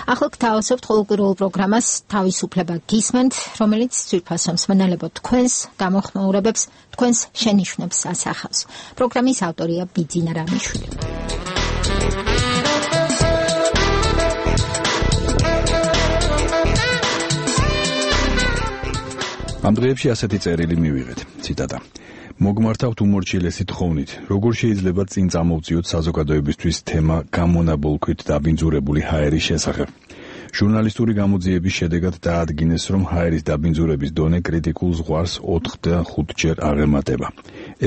ახლა გთავაზობთ ყოველკვირეულ პროგრამას თავისუფლება გისმენთ, რომელიც ძვირფასო მსმენელებო თქვენს გამოხმაურებებს, თქვენს შენიშვნებს ასახავს. პროგრამის ავტორია ბიძინა რამიშვილი. ამ დღეებში ასეთი წერილი მივიღეთ, ციტატა. მოგმართავთ უმორჩილესი თხოვნით, როგორ შეიძლება წინ წამოვწიოთ საზოგადოებისთვის თემა გამონაბოლქვით დაბინძურებული ჰაერის შესახებ. ჟურნალისტური გამოძიების შედეგად დაადგინეს, რომ ჰაერის დაბინძურების დონე კრიტიკულ ზღვარს 4-5-ჯერ აღემატება.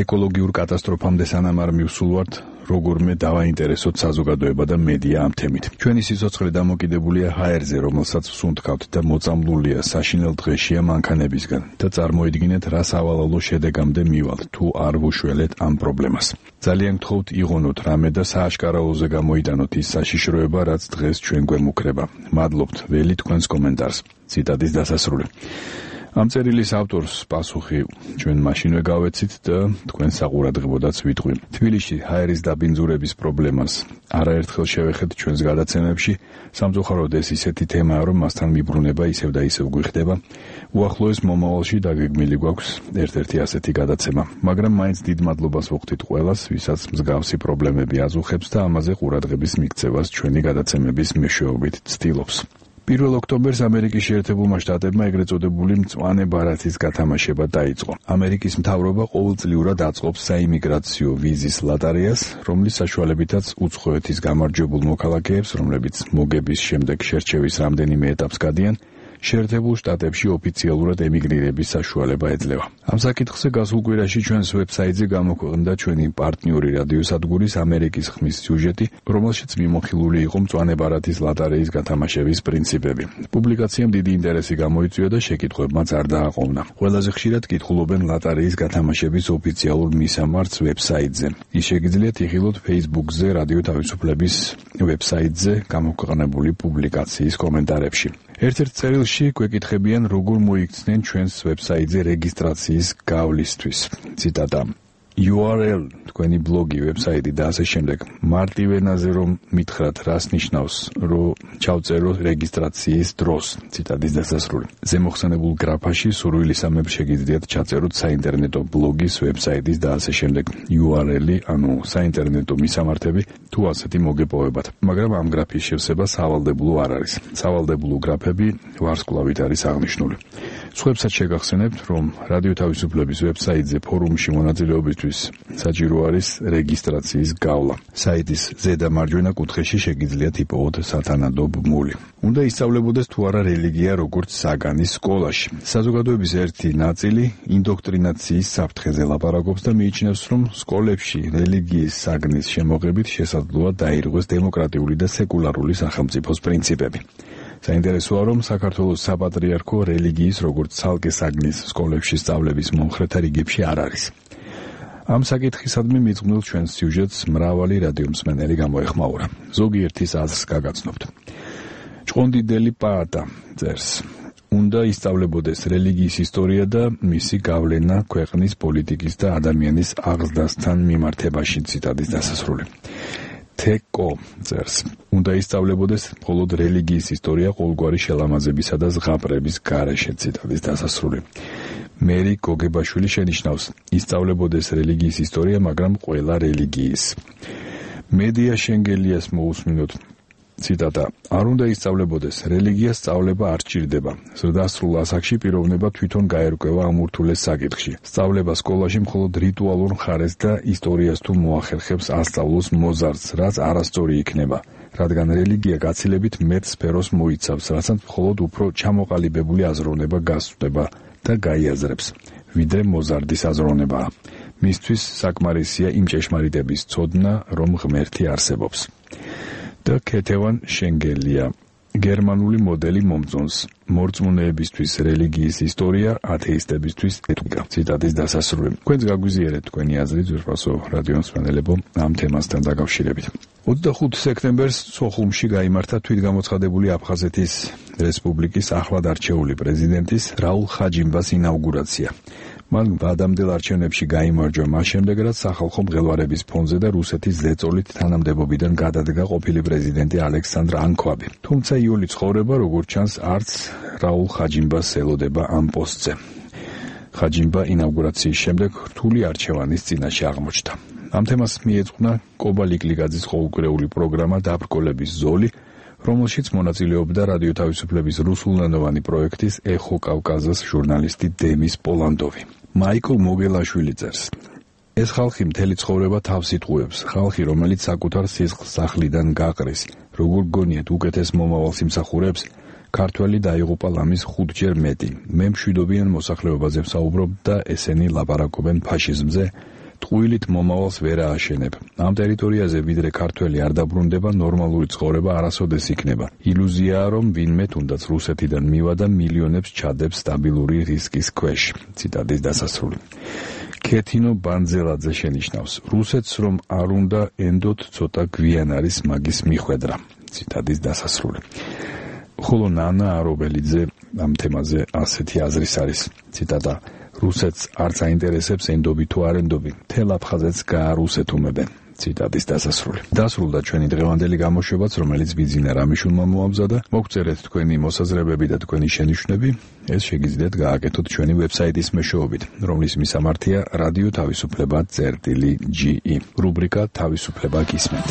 ეკოლოგიურ კატასტროფამდე სანამ არ მივსულვართ, როგორმე დავაინტერესოთ საზოგადოება და მედია ამ თემით. ჩვენი სიცოცხლე დამოკიდებულია ჰაერზე, რომელსაც ვსუნთქავთ და მოწამლულია საშინელ დღეშია მანქანებისგან და წარმოიდგინეთ, რა სავალალო შედეგამდე მივალთ, თუ არ ვუშველეთ ამ პრობლემას. ძალიან გთხოვთ იღონოთ რამე და სააშკარაოზე გამოიტანოთ ის საშიშროება, რაც დღეს ჩვენ გვემუქრება. მადლობთ, ველი თქვენს კომენტარს. ციტატის დასასრული. ამ წერილის ავტორს პასუხი ჩვენ მაშინვე გავეცით და თქვენ საყურადღებოდაც ვიტყვი. თბილისში ჰაერის დაბინძურების პრობლემას არაერთხელ შევეხეთ ჩვენს გადაცემებში. სამწუხაროდ ეს ისეთი თემაა, რომ მასთან მიბრუნება ისევ და ისევ გვიხდება. უახლოეს მომავალში დაგეგმილი გვაქვს ერთ-ერთი ასეთი გადაცემა, მაგრამ მაინც დიდ მადლობას ვუხდით ყველას, ვისაც მსგავსი პრობლემები აზუხებს და ამაზე ყურადღების მიქცევას ჩვენი გადაცემების მეშვეობით ცდილობს. 1 ოქტომბერს ამერიკის შეერთებულმა შტატებმა ეგრეთ წოდებული მწვანე ბარათის გათამაშება დაიწყო. ამერიკის მთავრობა ყოველწლიურად აწყობს საიმიგრაციო ვიზის ლოტარეას, რომლის საშუალებითაც უცხოეთის გამარჯვებულ მოქალაქეებს, რომლებიც მოგების შემდეგ შერჩევის რამდენიმე ეტაპს გადიან, შეერთებულ შტატებში ოფიციალურად ემიგრირების საშუალება ეძლევა. ამ საკითხზე გასულ კვირაში ჩვენს ვებსაიტზე გამოქვეყნდა ჩვენი პარტნიორი რადიოსადგურის ამერიკის ხმის სიუჟეტი, რომელშიც მიმოხილული იყო მწვანე ბარათის ლოტარეის გათამაშების პრინციპები. პუბლიკაციამ დიდი ინტერესი გამოიწვია და შეკითხვებმაც არ დააყოვნა. ყველაზე ხშირად კითხულობენ ლოტარეის გათამაშების ოფიციალურ მისამართს ვებსაიტზე. ის შეგიძლიათ იხილოთ Facebook-ზე რადიო თავისუფლების ვებსაიტზე გამოქვეყნებული პუბლიკაციის კომენტარებში. ერთ-ერთ წერილში გვეკითხებიან, როგორ მოიქცნენ ჩვენს ვებსაიტზე რეგისტრაციის გავლისთვის. ციტატა. URL თქვენი ბლოგი, ვებსაიტი და ასე შემდეგ. მარტივ ენაზე რომ მითხრათ, რას ნიშნავს, რომ ჩავწერო რეგისტრაციის დროს. ციტატის დასასრული. ზემოხსენებულ გრაფაში სურვილისამებრ შეგიძლიათ ჩაწეროთ საინტერნეტო ბლოგის, ვებსაიტის და ასე შემდეგ URL-ი, ანუ საინტერნეტო მისამართები, თუ ასეთი მოგეპოვებათ. მაგრამ ამ გრაფის შევსება სავალდებულო არ არის. სავალდებულო გრაფები ვარსკვლავით არის აღნიშნული. სხვებსაც შეგახსენებთ, რომ რადიო თავისუფლების ვებსაიტზე ფორუმში მონაწილეობისთვის საჭირო არის რეგისტრაციის გავლა. საიტის ზედა მარჯვენა კუთხეში შეგიძლიათ იპოვოთ სათანადო ბმული. უნდა ისწავლებოდეს თუ არა რელიგია როგორც საგანი სკოლაში. საზოგადოების ერთი ნაწილი ინდოქტრინაციის საფრთხეზე ლაპარაკობს და მიიჩნევს, რომ სკოლებში რელიგიის საგნის შემოღებით შესაძლოა დაირღვეს დემოკრატიული და სეკულარული სახელმწიფოს პრინციპები. საინტერესოა, რომ საქართველოს საპატრიარქო რელიგიის როგორც ცალკე საგნის სკოლებში სწავლების მომხრეთა რიგებში არ არის. ამ საკითხისადმი მიძღვნილ ჩვენს სიუჟეტს მრავალი რადიომსმენელი გამოეხმაურა. ზოგიერთის აზრს გაგაცნობთ. ჭყონდიდელი პაატა წერს. უნდა ისწავლებოდეს რელიგიის ისტორია და მისი გავლენა ქვეყნის პოლიტიკის და ადამიანის აღზრდასთან მიმართებაში. ციტატის დასასრული. თეკო წერს. უნდა ისწავლებოდეს მხოლოდ რელიგიის ისტორია ყოველგვარი შელამაზებისა და ზღაპრების გარეშე. ციტატის დასასრული. მერი გოგებაშვილი შენიშნავს, ისწავლებოდეს რელიგიის ისტორია, მაგრამ ყველა რელიგიის. მედია შენგელიას მოусმინოთ. ციტატა. არ უნდა ისწავლებოდეს, რელიგიას სწავლება არ სჭირდება. ზრდასრულ ასაკში პიროვნება თვითონ გაერკვევა ამ ურთულეს საკითხში. სწავლება სკოლაში მხოლოდ რიტუალურ მხარეს და ისტორიას თუ მოახერხებს ასწავლოს მოზარდს, რაც არასწორი იქნება, რადგან რელიგია გაცილებით მეტ სფეროს მოიცავს, რასაც მხოლოდ უფრო ჩამოყალიბებული აზროვნება გასწვდება და გაიაზრებს, ვიდრე მოზარდის აზროვნებაა. მისთვის საკმარისია იმ ჭეშმარიტების ცოდნა, რომ ღმერთი არსებობს. და ქეთევან შენგელია. გერმანული მოდელი მომწონს. მორწმუნეებისთვის რელიგიის ისტორია, ათეისტებისთვის ეთიკა. ციტატის დასასრული. თქვენს გაგვიზიარეთ თქვენი აზრი ძვირფასო რადიომსმენელებო ამ თემასთან დაკავშირებით. 25 სექტემბერს სოხუმში გაიმართა თვითგამოცხადებული აფხაზეთის რესპუბლიკის ახლად არჩეული პრეზიდენტის რაულ ხაჯიმბას ინაუგურაცია. მან ადამიანელ არჩევნებში გაიმარჯვა მას შემდეგ, რაც სახალხო მღელვარების ფონზე და რუსეთის ზეწოლით თანამდებობიდან გადადგა ყოფილი პრეზიდენტი ალექსანდრ ანქვაბი. თუმცა იული ცხოვრება, როგორც ჩანს, არც რაულ ხაჯიმბას ელოდება ამ პოსტზე. ხაჯიმბა ინაუგურაციის შემდეგ რთული არჩევანის წინაშე აღმოჩნდა. ამ თემას მიეძღვნა კობა ლიკლიგაძის ყოველკვირეული პროგრამა დაბრკოლების ზოლი, რომელშიც მონაწილეობდა რადიო თავისუფლების რუსულენოვანი პროექტის ეხო კავკაზას ჟურნალისტი დემის პოლანდოვი. მაიკლ მოგელაშვილი წერს: ეს ხალხი მთელი ცხოვრება თავს იტყუებს, ხალხი, რომელიც საკუთარ სისხლს სახლიდან გაყრის, როგორ გონიათ უკეთეს მომავალს იმსახურებს, ქართველი დაიღუპა ლამის 5-ჯერ მეტი. მე მშვიდობიან მოსახლეობაზე ვსაუბრობ და ესენი ლაპარაკობენ ფაშიზმზე, ტყუილით მომავალს ვერ ააშენებ. ამ ტერიტორიაზე ვიდრე ქართველი არ დაბრუნდება, ნორმალური ცხოვრება არასოდეს იქნება. ილუზიაა, რომ ვინმე თუნდაც რუსეთიდან მივა და მილიონებს ჩადებს სტაბილური რისკის ქვეშ. ციტატის დასასრული. ქეთინო ბანძელაძე შენიშნავს: რუსეთს რომ არ უნდა ენდოთ, ცოტა გვიან არის მაგის მიხვედრა. ციტატის დასასრული. ხოლო ნანა არობელიძე ამ თემაზე ასეთი აზრის არის. ციტატა: რუსეთს არც აინტერესებს ენდობი თუ არ ენდობი, მთელ აფხაზეთს გაარუსეთუმებენ. ციტატის დასასრული. დასრულდა ჩვენი დღევანდელი გამოშვებაც, რომელიც ბიძინა რამიშულმა მოამზადა. მოგწერეთ თქვენი მოსაზრებები და თქვენი შენიშვნები. ეს შეგიძლიათ გააკეთოთ ჩვენი ვებსაიტის მეშვეობით, რომლის მისამართია რადიო თავისუფლება.ge. რუბრიკა თავისუფლება გისმენთ.